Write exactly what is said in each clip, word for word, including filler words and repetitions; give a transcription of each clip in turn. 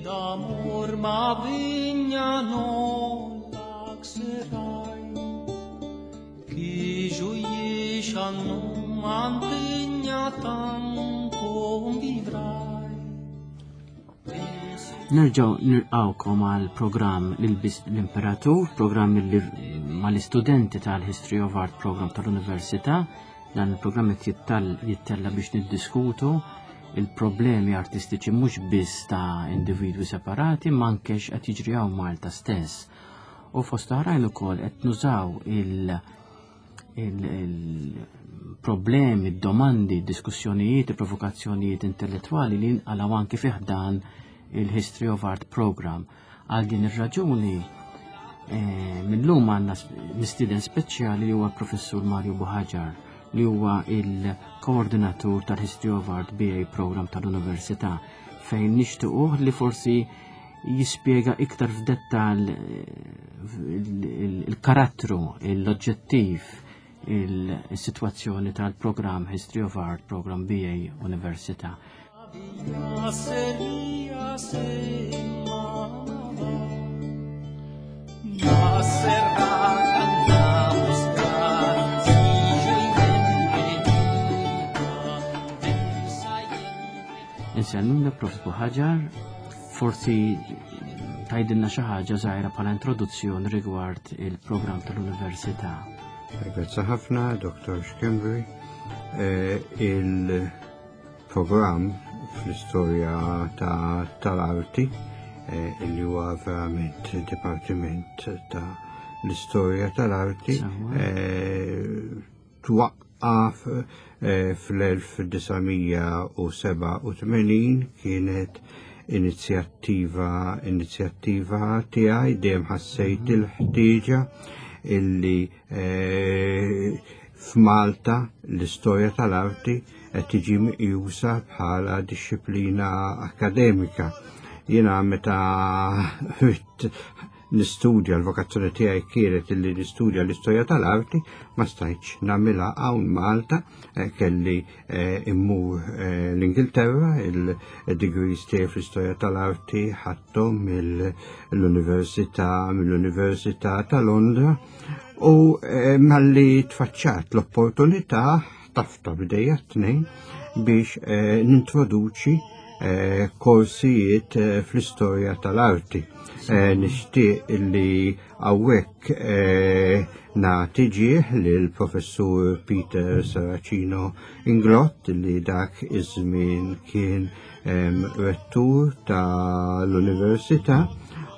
D'amor ma vigna non laxerai Chi gioiesce non mantegna tan convivrai. Nerġaw nilqawkom għal programm l-Imperatur, programm li mal-istudenti tal-History of Art program tal-Università. Dan il-programm qed jittella biex niddiskutu il-problemi artistiċi mhux biss ta' individwi separati, ma anke qed jiġri hawn Malta stess. U fost oħrajn ukoll qed nużaw il- il-problemi, domandi, diskussjonijiet, provokazzjonijiet intellettwali li nqalgħu anke fi ħdan il-History of Art Program. Għal din ir-raġuni eh, mill-lum għandna mistieden speċjali li huwa professur Mario Buhagiar, li huwa il-koordinatur tal-History of Art B A Program tal-Università, fejn nixtiequh li forsi jispjega iktar f'dettal eh, il-karattru, l-oġġettiv, il-situazzjoni tal-program History of Art Program B A Università. Se se Ma serra cantamos tra Insellmulek, Prof Buhagiar, forsi tgħidilna xi ħaġa żgħira bħala introduzzjoni rigward il-programm tal-Università. Grazzi ħafna, Doktor Schembri. Eh, il-programm fl-istorja tal-arti, eh, li huwa verament Dipartiment ta' l-Istorja tal-Arti, eh, twaqqaf fl-elf disa' mija u sebgħa u tmenin, kienet inizjattiva inizjattiva tiegħi. Dejjem ħassejt mhm. il-ħtieġa illi f'Malta l-istorja tal-arti qed tiġi meqjusa bħala dixxiplina akademika. Jiena meta nistudja, l-vokazzjoni tiegħi kienet illi nistudja l-istorja tal-arti, ma stajtx nagħmilha hawn Malta, eh, kelli eh, immur eh, l-Ingilterra. Il-degrees tiegħi fl-istorja tal-arti ħadthom mill-Università mill-Università ta' Londra u malli tfaċċat l-opportunità ħtafta b'idejja t-tnejn biex nintroduċi korsijiet fl-istorja tal-arti. Nixtieq illi hawnhekk nagħti ġieħ lill-professur Peter Serracino Inglott, li dak iż-żmien kien rettur tal-Università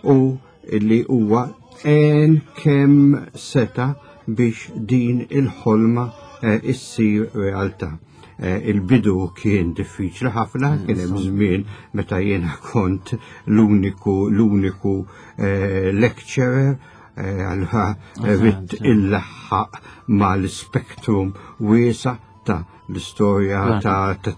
u illi huwa għen kemm seta biex din il-ħolma issir realtà. Il-bidu kien diffiċli ħafna, kien hemm żmien meta jiena kont l-uniku l-uniku lecturer, allura ridt illaħħaq mal-spektrum wiesa' ta' l-istorja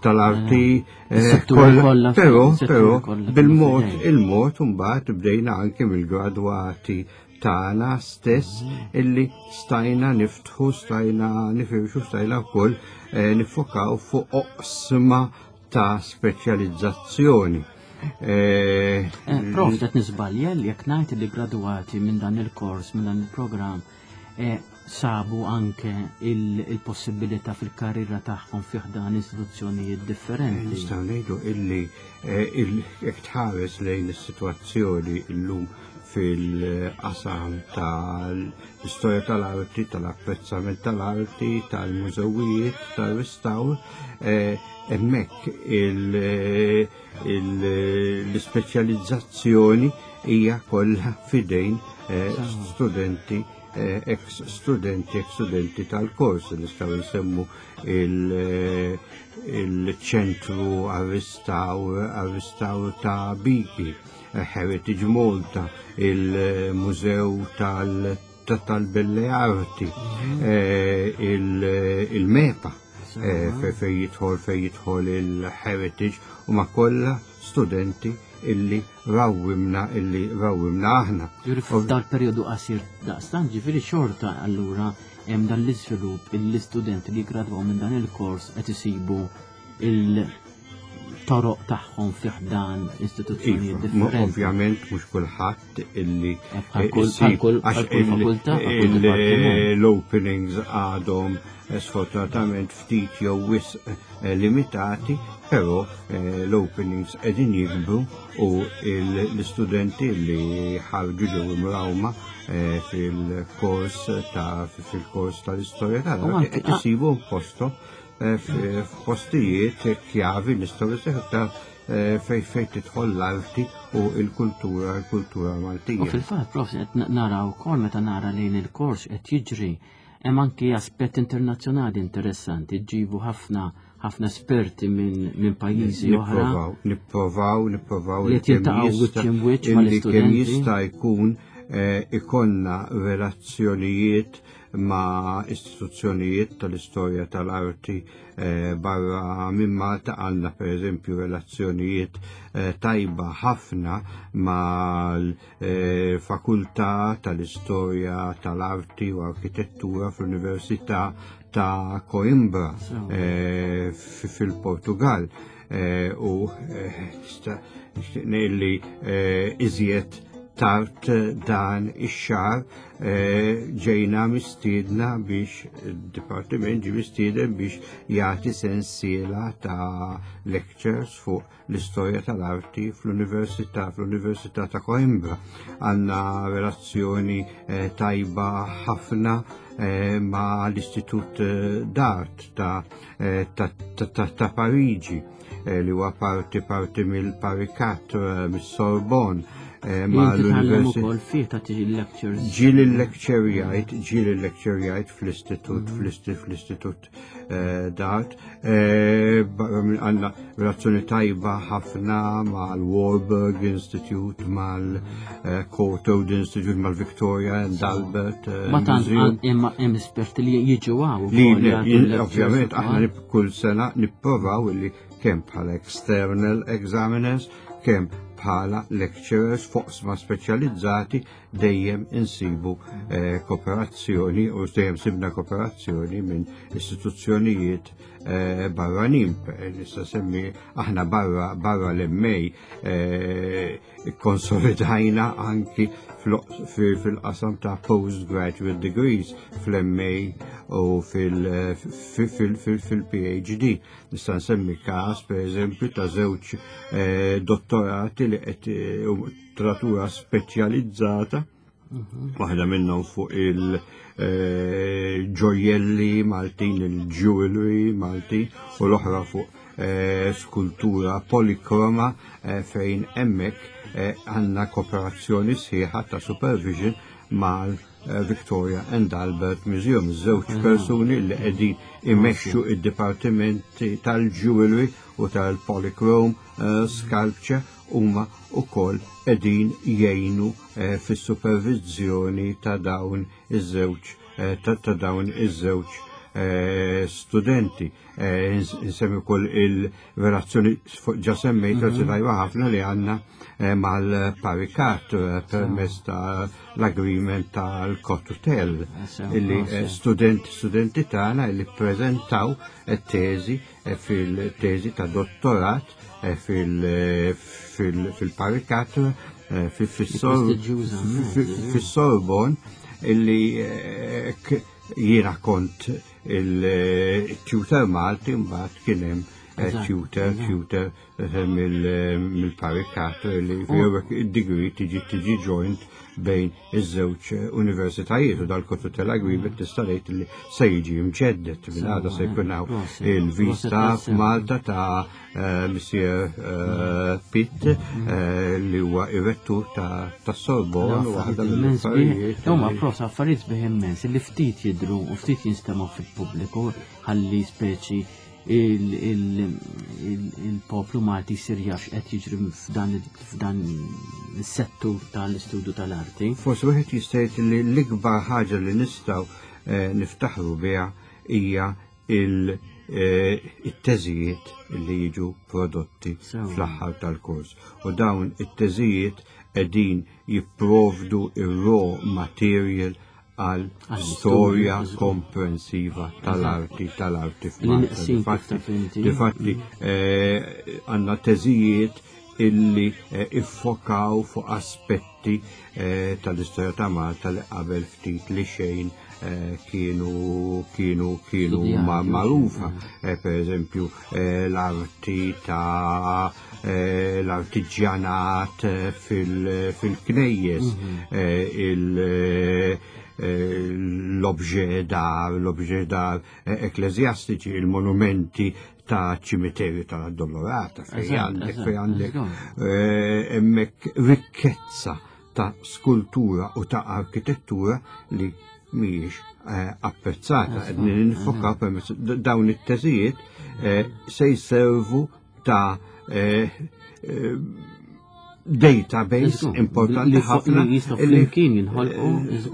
tal-arti. Però, però, bil-mod, il-mod, mbagħad bdejna anke mill-gradwati tagħna stess illi stajna niftħu, stajna nifirxu, stajna wkoll nifokaw fuq oqsma ta' speċjalizzazzjoni. Prof, qed niżbalja li jekk ngħid li gradwati minn dan il-kors, minn dan il-programm, sabu anke il-possibilità fil-karriera tagħhom fi ħdan istituzzjonijiet differenti? Nistgħu ngħidu illi jekk tħares lejn is-sitwazzjoni llum fil-qasam tal-istorja tal-arti, tal-apprezzament tal-arti, tal-mużewijiet, tal-restawr, hemmhekk l-ispeċjalizzazzjoni hija kollha fidejn studenti, ex studenti, ex studenti tal-kors. Nistgħu nsemmu il-ċentru għar-restawr ta' Biki, Heritage Malta, il-Mużew tal-Belle Arti, il-MEPA, fej jidħol fej jidħol il-heritage, u ma kollha studenti illi rawwimna illi rawwimna aħna. Dal-periodu qasir daqstan, ġifieri xorta allura hemm dan l-iżvilupp, l-istudenti li gradwaw minn dan il-kors qed isibu il toroq tagħhom fi ħdan istituzzjonijiet Iva, differenti. Ovvjament mhux kulħadd illi Eh, bħal kull- bħal kull- għax bħal kull il- fakultà, bħal kull il- dipartiment. L-openings għadhom eh, sfortunatament ftit jew wisq eh, limitati, però eh, l-openings qegħdin jikbru u il- l-istudenti li ħarġu ġew imrawma eh, fil-kors ta' fil-kors tal-istorja U tal-arti anki- qed isibu postom eh, f- f'postijiet kjavi nistgħu nseħħu ta' eh, fej fej tidħol l-arti u l-kultura l-kultura U Maltija. fil-fatt, prof, qed nara wkoll meta nara lejn il-kors qed jiġri hemm anki aspett internazzjonali interessanti, ġibu ħafna ħafna esperti minn min pajjiżi oħra. Nipprovaw, nipprovaw, nipprovaw Li qed kemm jiltaqgħu jista' wiċċ imwiċċ illi mal-istudenti. kemm jista' jkun eh, ikollna relazzjonijiet ma' istituzzjonijiet tal-istorja tal-arti eh, barra minn Malta. Għandna per eżempju relazzjonijiet eh, tajba ħafna mal-fakultà tal-istorja tal-arti u arkitettura fl-Università ta' Coimbra So. eh, fi- fil-Portugal eh, u eh, tista' nixtieq ngħid li eh, iżjed tard dan ix-xahar eh, ġejna mistiedna biex id-dipartiment ġi mistieden biex jagħti sensiela ta' lectures fuq l-istorja tal-arti fl-Università fl-Università ta' Coimbra. Għandna relazzjoni eh, tajba ħafna eh, ma' l-Istitut eh, d'Art ta', eh, ta, ta, ta, ta' Parigi eh, li huwa parti parti mill-Paris Quatre, eh, mis-Sorbonne, eh, ma' Inti tgħallem l-Università ukoll fih tagħti lectures. Ġieli lecturejajt, ġieli lecturejajt fl-istitut, fl-istitut, fl-istitut eh, d'Art. Eh, barra minn għandna relazzjoni tajba ħafna mal-Warburg Institute, mal-Courtauld Institute, mal-Victoria and Albert eh, Ma tant Museum. għand- hemm hemm esperti li jiġu hawn Li ukoll jagħtu li- lectures ovvjament ukoll. aħna nib- kull sena nipprovaw li kemm bħala external examiners, kemm bħala lecturers f'oqsma speċjalizzati dejjem insibu eh, kooperazzjoni u dejjem sibna kooperazzjoni minn istituzzjonijiet eh, barranin. Nista' semmi aħna barra barra l-M A eh, konsolidajna anki fl- fi- fil-qasam ta' postgraduate degrees fl-M A u fil- fil- fil- fil- fil-P H D. Nista' nsemmi każ per eżempju ta' żewġ eh, dottorati li qed eh, tratura speċjalizzata, waħda minnhom fuq il-ġojjelli Maltin, il-jewelry Maltin, u l-oħra fuq eh, skultura polikroma eh, fejn hemmhekk eh, għandna kooperazzjoni sħiħa ta' supervision mal eh, Victoria and Albert Museum. Żewġ persuni li qegħdin imexxu id-dipartimenti tal-jewelry u tal-polychrome eh, sculpture huma wkoll qegħdin jgħinu eh, fis-supervizjoni ta' dawn iż-żewġ eh, ta' ta' dawn iż-żewġ eh, studenti. Eh, ins- Insemmi wkoll il-relazzjoni ġa semmejt, relazzjoni tajba ħafna li għandna eh, mal-Paris Quatre eh, permezz ta' l-agreement tal-cotutelle Sew, illi sew. eh, studenti studenti tagħna illi ppreżentaw teżi eh, fil-teżi ta' dottorat eh, fil- eh, fil- fil-Paris Quatre eh, fil- fis-Sor- Prestiġjuża, fi- fi- fis-Sorbonne illi eh, k- jiena kont il-tutor Malti, mbagħad kien hemm eh, Eżatt, tutor eżatt. tutor eh, mill- mill-Paris Quatre li id-degree tiġi tiġi joint bejn iż-żewġ universitajiet u dal-cotutelle agreement tista' tgħid li se jiġi mġeddet minn għada se jkun hawn Proset, il-vista proset. f'Malta ta' eh, Monsieur eh, Pitt eh, li huwa ir-rettur ta' ta' Sorbonne u waħda Immens mill-affarijiet. Huma li- prosa affarijiet sbieħ immens li ftit jidru u ftit jinstemgħu fil-pubbliku ħalli speċi il- il- il- il-poplu Malti jsir jaf x'qed jiġri f'dan f'dan is-settur tal-istudju tal-arti. Forsi wieħed jista' jgħid li l-ikbar ħaġa li nistgħu eh, niftaħru biha hija il- eh, it-teżijiet li jiġu prodotti Sewa. fl-aħħar tal-kors. U dawn it-teżijiet qegħdin jipprovdu ir-raw material għal storja komprensiva tal-arti tal-arti f'Malta. Difatti eh, għandna teżijiet illi eh, iffokaw fuq aspetti eh, tal-istorja ta' Malta li qabel ftit li xejn kienu kienu kienu magħrufa. Per eżempju l-arti ta' l-artiġjanat fil-knejjes, il- l-objet d'art, l-objet d'art ekklesjastiċi, il-monumenti ta' ċimiterju tal-Addolorata, fej għandek, fej għandek hemmhekk rikkezza ta' skultura u ta' arkitettura li mhijiex apprezzata. Nifokaw permezz dawn it-teżijiet se jservu ta' database importanti ħafna li jistgħu flimkien jinħolqu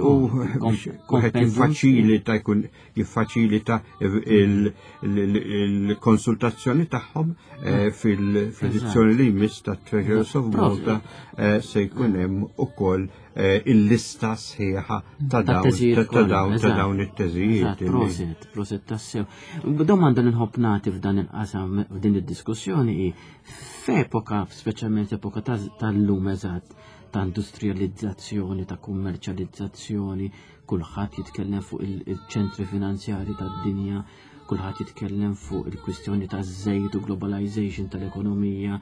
u wieħed jiffaċilita jkun jiffaċilita il-konsultazzjoni tagħhom fil-edizzjoni li jmiss ta' Treasures of Malta se jkun hemm ukoll il-lista sħiħa ta' dawn ta' dawn it-teżijiet. Prosit, prosit tassew. Domanda li nħobb nagħti f'dan il-qasam f'din id-diskussjoni hi f'epoka, speċjalment epoka tal-lum eżatt, ta' industrializzazzjoni, ta' kummerċjalizzazzjoni, kulħadd jitkellem fuq il-ċentri finanzjari tad-dinja, kulħadd jitkellem fuq il-kwistjoni ta' żejt u globalization tal-ekonomija,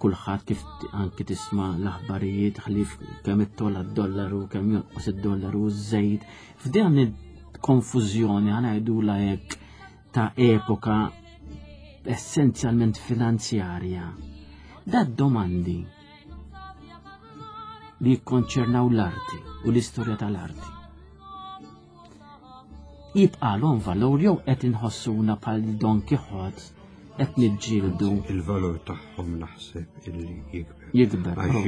kulħadd kif anki tisma' l-aħbarijiet ħlif kemm ittola d-dollaru, kemm jonqos id-dollaru u ż-żejt. F'dan il-konfużjoni ħa ngħidulha hekk ta' epoka essenzjalment finanzjarja. Da domandi li jikkonċernaw l-arti u l-istorja tal-arti. Jibqalhom valur jew qed inħossuna bħal Don Quixote qed niġġieldu. Il-valur tagħhom naħseb illi jikber. Jikber. Għax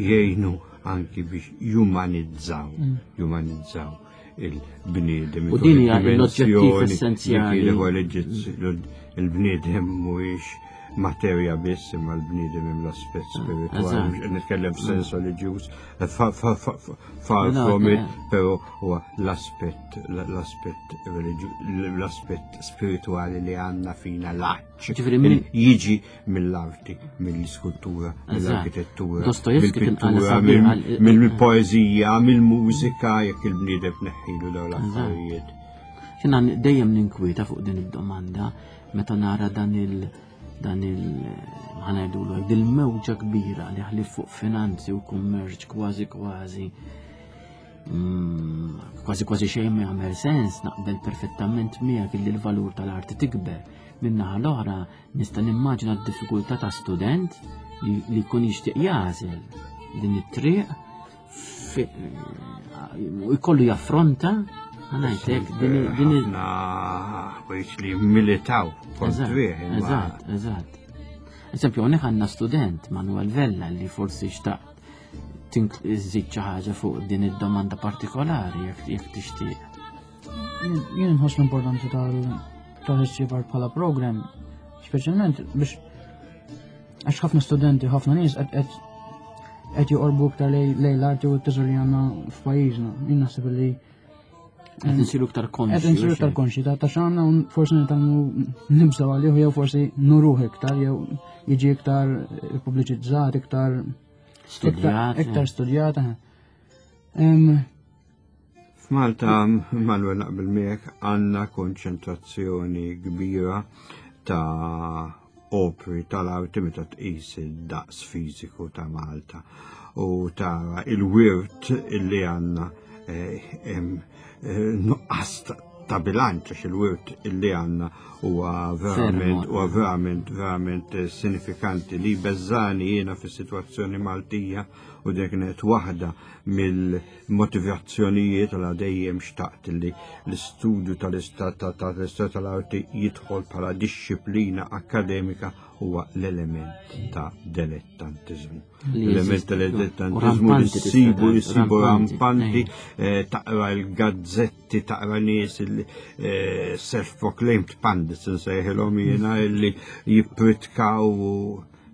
jgħinu anki biex jumanizzaw, jumanizzaw il-bniedem. U din hija l-oġġettiv essenzjali. Il-bniedem mhuwiex materja biss imma l-bniedem hemm l-aspett spiritwali, nitkellem f'sens reliġjuż, far from it, però huwa l-aspett l-aspett l-aspett spiritwali li għandna fina l-għatx. Jiġi mill-arti, mill-iskultura, mill-arkitettura, mill-pittura, mill-poeżija, mill-mużika, jekk il-bniedem neħħilu dawn l-affarijiet. Jiena dejjem ninkwieta fuq din id-domanda meta nara dan il- dan il ħa ngħidulu dil-mewġa kbira li ħlif fuq finanzi u kummerċ kważi kważi kważi kważi xejn ma jagħmel sens, naqbel perfettament miegħek illi l-valur tal-arti tikber. Min-naħa l-oħra nista' nimmaġina d-diffikultà ta' student li jkun jixtieq jagħżel din it-triq u jkollu jaffronta ħa ngħidlek din din ħafna li militaw kontrih. Eżatt, eżatt. Eżempju, hawnhekk għandna student Manuel Vella li forsi xtaq iżid xi ħaġa fuq din id-domanda partikolari jekk tixtieq. Jien nħoss l-importanza tal-history of art bħala program, speċjalment biex għax ħafna studenti, ħafna nies qed qed joqorbu iktar lejn l-arti u t-teżor li għandna f'pajjiżna. Jien naħseb li Qed insiru iktar konxi. Qed insiru iktar konxi ta' ta' x'għandna u forsi nitgħallmu nibżgħu għalih jew forsi nuruh iktar jew jiġi iktar pubbliċizzat, iktar studjat. Iktar studjat. F'Malta, Manuel naqbel miegħek, għandna konċentrazzjoni kbira ta' opri tal-arti meta tqis id-daqs fiżiku ta' Malta u tara il-wirt illi għandna nuqqas ta' bilanċ għax il-wirt illi għandna huwa verament huwa verament verament sinifikanti li beżani jiena fis-sitwazzjoni Maltija u dik kienet waħda mill-motivazzjonijiet għal dejjem xtaqt li l-istudju tal-istat tal-istat tal-arti jidħol bħala dixxiplina akademika huwa l-element ta' dilettantiżmu. L-element ta' dilettantiżmu li ssibu li ssibu rampanti, taqra l-gazzetti, taqra nies il-self-proclaimed pundits nsejħilhom jiena li jippritkaw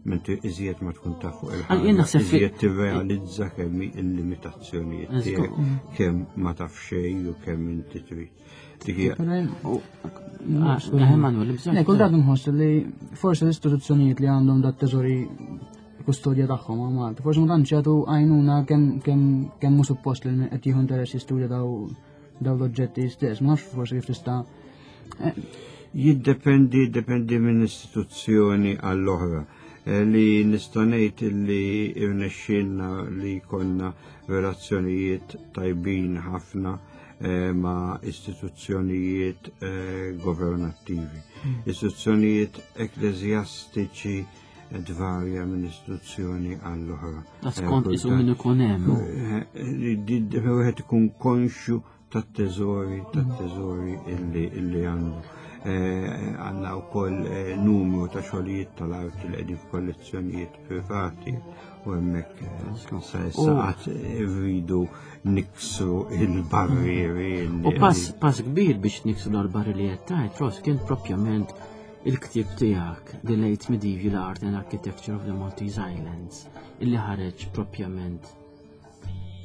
Mentri iżjed ma tkun taf fuq Għal jien il-ħaġa, naħseb fi- iżjed tirrealizza kemm hi il-limitazzjonijiet Eżgur. tiegħek, kemm ma taf xejn u kemm inti trid. Dik hija Però jien- Ah, Emanuel, bżonn. Le, kull dak nħoss li forsi l-istituzzjonijiet li għandhom dat teżori kustodja tagħhom għal Malta, forsi ma tantx jagħtu għajnuna kemm kemm kemm mhu suppost li qed jieħu interess jistudja daw daw l-oġġetti stess, ma nafx forsi kif tista' Jiddependi, dependi minn istituzzjoni għall-oħra. Eh, Li nista' ngħid li irnexxielna li konna relazzjonijiet tajbin ħafna eh, ma' istituzzjonijiet eh, governattivi. Istituzzjonijiet ekklesjastiċi eh, tvarja minn istituzzjoni għall-oħra. Da skont isu min ikun hemm. Wieħed ikun konxju tat-teżori, tat-teżori illi illi għandu. Eh, Għandna wkoll eh, numru ta' xogħlijiet tal-arti li qegħdin f'kollezzjonijiet privati u hemmhekk eh, sa issa qatt irridu niksru il-barrieri. illi- U pass pass kbir biex niksru l-barri li qed tgħid, Ross, kien propjament il-ktieb tiegħek The Late Medieval Art and Architecture of the Maltese Islands illi ħareġ propjament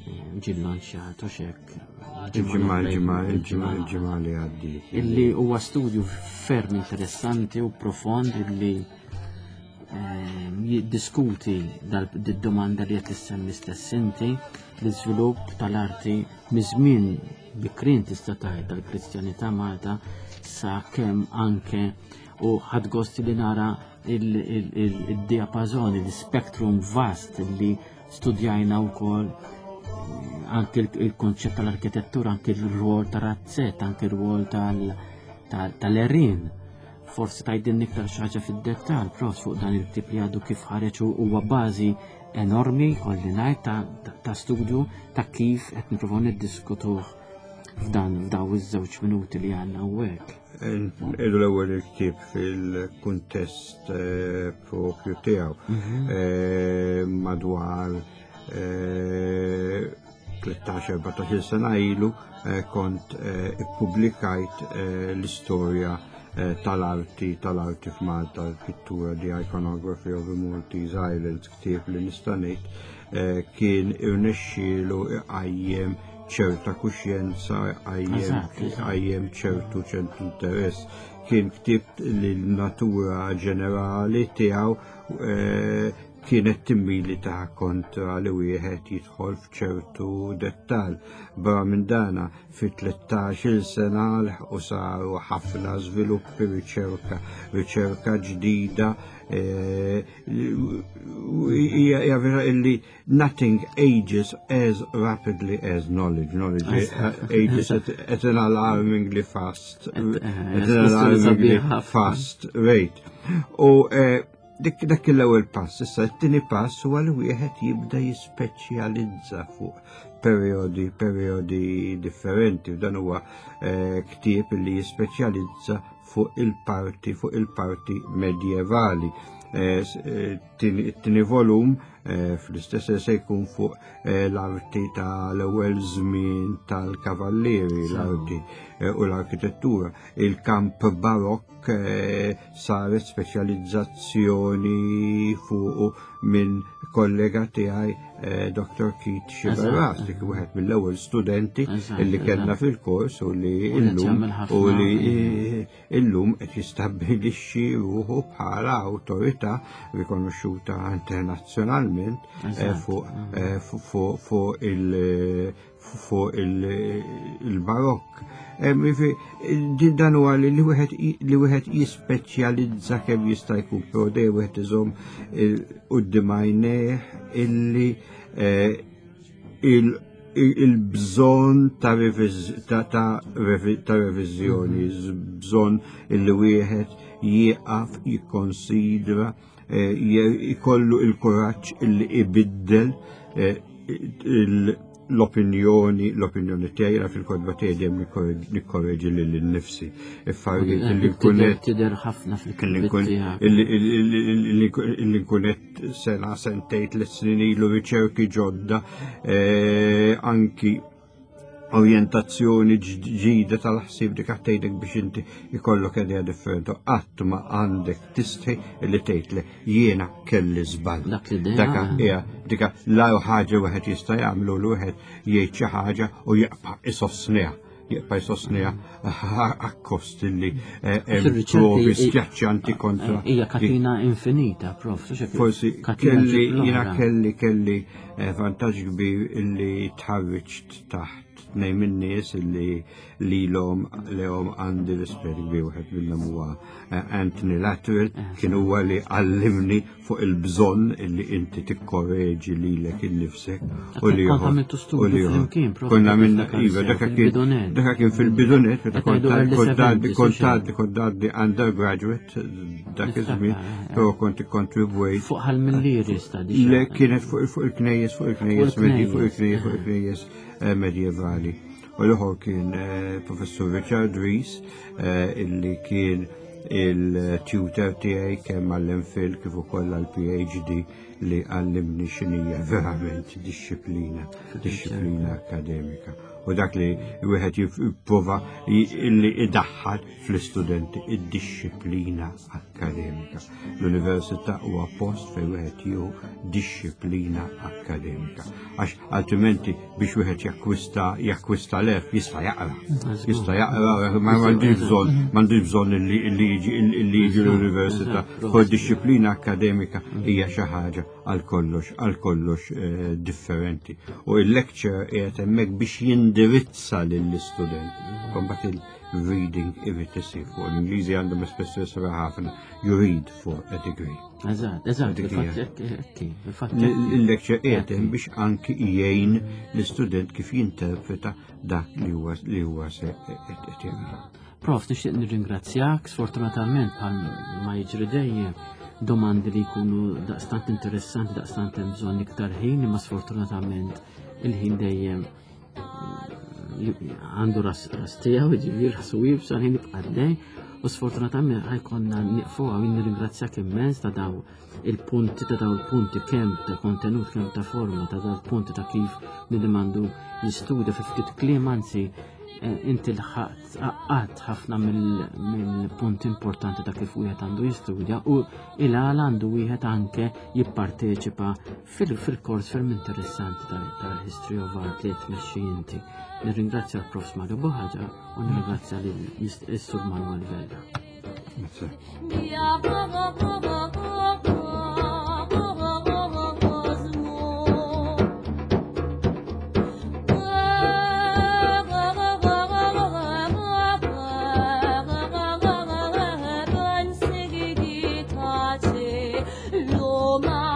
eh, ġie llanċjat u xek. Il-ġimgħa, il-ġimgħa, il-ġimgħa, il-ġimgħa li għaddiet. Illi huwa studju ferm interessanti u profond illi ehm, jiddiskuti dal-domanda li qed issemmi stess inti, l-iżvilupp tal-arti miż-żmien bikrin tista' tgħid tal-Kristjanità Malta sa kemm anke u ħadt gost li nara il-diapazoni, l-spektrum vast li studjajna wkoll anke il-konċett tal-arkitettura, anke il-rwol tal-razzett, anke il-rwol tal-erin. Forsi tgħidilna iktar xi ħaġa fid-dettall, pros fuq dan il-tip li għadu kif ħareġ u huwa bażi enormi, kolli ngħid, ta', ta studju ta' kif qed nippruvaw niddiskutuh f'dan f'daw iż-żewġ minuti li għandna hawnhekk. Idu l-ewwel il-ktieb fil-kuntest eh, propju tiegħu mhm. eh, madwar eh, tlettax erbatax-il sena ilu kont ippubblikajt l-istorja tal-arti tal-arti f'Malta, l-pittura, The Iconography of the Maltese Islands, ktieb li nista' ngħid kien irnexxielu iqajjem ċerta kuxjenza, qajjem ċertu ċertu interess. Kien ktieb li l-natura ġenerali tiegħu eh, kienet timmilita kontra li wieħed jidħol f'ċertu dettal. Barra minn dana, fi tlettax-il sena u saru ħafna żviluppi, riċerka, riċerka ġdida. Eh, hija vera illi nothing ages as rapidly as knowledge. Knowledge ages at, at an alarmingly fast, at an alarmingly fast rate. U eh, dik dak l-ewwel pass, issa t-tieni pass huwa li wieħed jibda jispeċjalizza fuq periodi periodi differenti. Dan huwa eh, ktieb li jispeċjalizza fuq il-parti fuq il-parti medjevali. Eh, eh, it-tieni volum fl-istess se jkun fuq l-arti tal-ewwel żmien tal-kavallieri, l-arti u l-arkitettura. Il-kamp barokk saret speċjalizzazzjoni fuq minn kollega tiegħi, Doktor Keith Sciberras, dik wieħed mill-ewwel studenti illi kellna fil-kors u li illum u li illum qed jistabbilixxi ruħu bħala awtorità rikonoxxuta internazzjonalment fuq fuq il fuq il-barokk. Dan huwa li wieħed li wieħed jispeċjalizza kemm jista' jkun, però dejjem wieħed iżomm quddiem għajnejh illi il-bżonn ta' reviżjoni, bżonn illi wieħed jieqaf jikkonsidra, jkollu il-kuraġġ illi ibiddel l-opinjoni, l-opinjoni tiegħi. Fil-kotba tiegħi dejjem nikkorreġi lil nnifsi. Affarijiet li nkun qed tidher ħafna fil-kitbiet tiegħek. Illi nkun qed sena, sentejn, tliet snin ilu, riċerki ġodda, anki Orjentazzjoni ġdida tal-ħsieb, dik tgħidek biex inti ikollok idea differenti. Qatt ma għandek tistħi li tgħid li jiena kelli żball. Dak l-idea. Daka hija dika l ħaġa wieħed jista' jagħmlu l wieħed jgħid xi ħaġa u jibqa' isostniha. Jibqa' jsostniha akkost li eh, hemm Fir-riċerka provi hi- skjaċċanti kontra. Hija katina infinita, prof. Forsi katina kelli, ġib jina l-oħra. kelli kelli eh, vantaġġ kbir illi tħarriġt taħt tnejn min-nies illi lilhom lehom għandi rispett kbir. Wieħed minnhom huwa eh, Anthony Latterell, kien huwa li għallimni fuq il-bżonn illi inti tikkorreġi lilek innifsek u li Kont għamiltu studju u li flimkien, prof, Konna minna, niftakar iva, sew, daka kien fil-bidunet. daka kien fil-bidunet, meta Qed kont ngħidu early kont għaddi seventies, kont u xejn. għaddi kont għaddi undergraduate dak iż-żmien, Niftakar, eh. però kont ikkontribwejt. Fuq ħal-millieri sta di. Le, kienet fuq fuq il-knejjes, fuq il-knejjes Fuq medi, fuq il-knejjes, il-knejjes, fuq il-knejjes eh, medjevali. U l-oħor kien eh, Professur Richard Rees, eh, illi kien il-tutor tiegħi kemm għall-MPhil kif ukoll għall-P H D, li għallimni x'inhija verament disċiplina, disċiplina akademika. U dak li wieħed jipprova illi idaħħal fl-istudenti id-disċiplina akademika. L-università huwa post fejn wieħed jieħu disċiplina akademika. Għax altrimenti biex wieħed jakkwista jakkwista l-għerf jista' jaqra. Jista' jaqra, ma m'għandix bżonn, m'għandix bżonn illi illi jiġi illi jiġi l-università. Kol disċiplina akademika hija xi ħaġa għal kollox għal kollox eh, differenti. U il-lecture qiegħed hemmhekk biex jindirizza lill-istudent. Mbagħad il-reading irid isir fuq l-Ingliżi għandhom espressjoni sabiħa ħafna: "You read for a degree." Eżatt, eżatt, Dik il-fatt hija. hekk, hekk, il-fatt hekk. Il-lecture qiegħed hemm biex anki jgħin l-istudent kif jinterpreta dak li huwa li huwa se qed jaqra. Prof, nixtieq nirringrazzjak, sfortunatament bħal ma jiġri dejjem domandi li jkunu daqstant interessanti, daqstant hemm bżonn iktar ħin, imma sfortunatament il-ħin dejjem għandu ras ras tiegħu, jiġifieri rasu iebsa, l-ħin jibqa' għaddej, u sfortunatament ħa jkollna nieqfu hawn. Nirringrazzjak immens ta' daw il-punti ta' daw il-punti kemm ta' kontenut, kemm ta' forma, ta' daw il-punti ta' kif nidemandu jistudja fi ftit kliem, anzi eh, inti lħaqt għaqqadt ħafna mill-punti importanti ta' kif wieħed għandu jistudja u il-għala għandu wieħed anke jipparteċipa fil-kors ferm interessanti tal-History of Art li tmexxi inti. Nirringrazzja l-Profs Mario Buhagiar u nirringrazzja l-Sur Manuel Vella. Grazie. Ja, ba, ba, ba, ba, ba, ba, ba, ba, ba, ba, zmu. Ba, ba, ba, ba, ba, ba, ba, ba, ba, ba, ba, ba,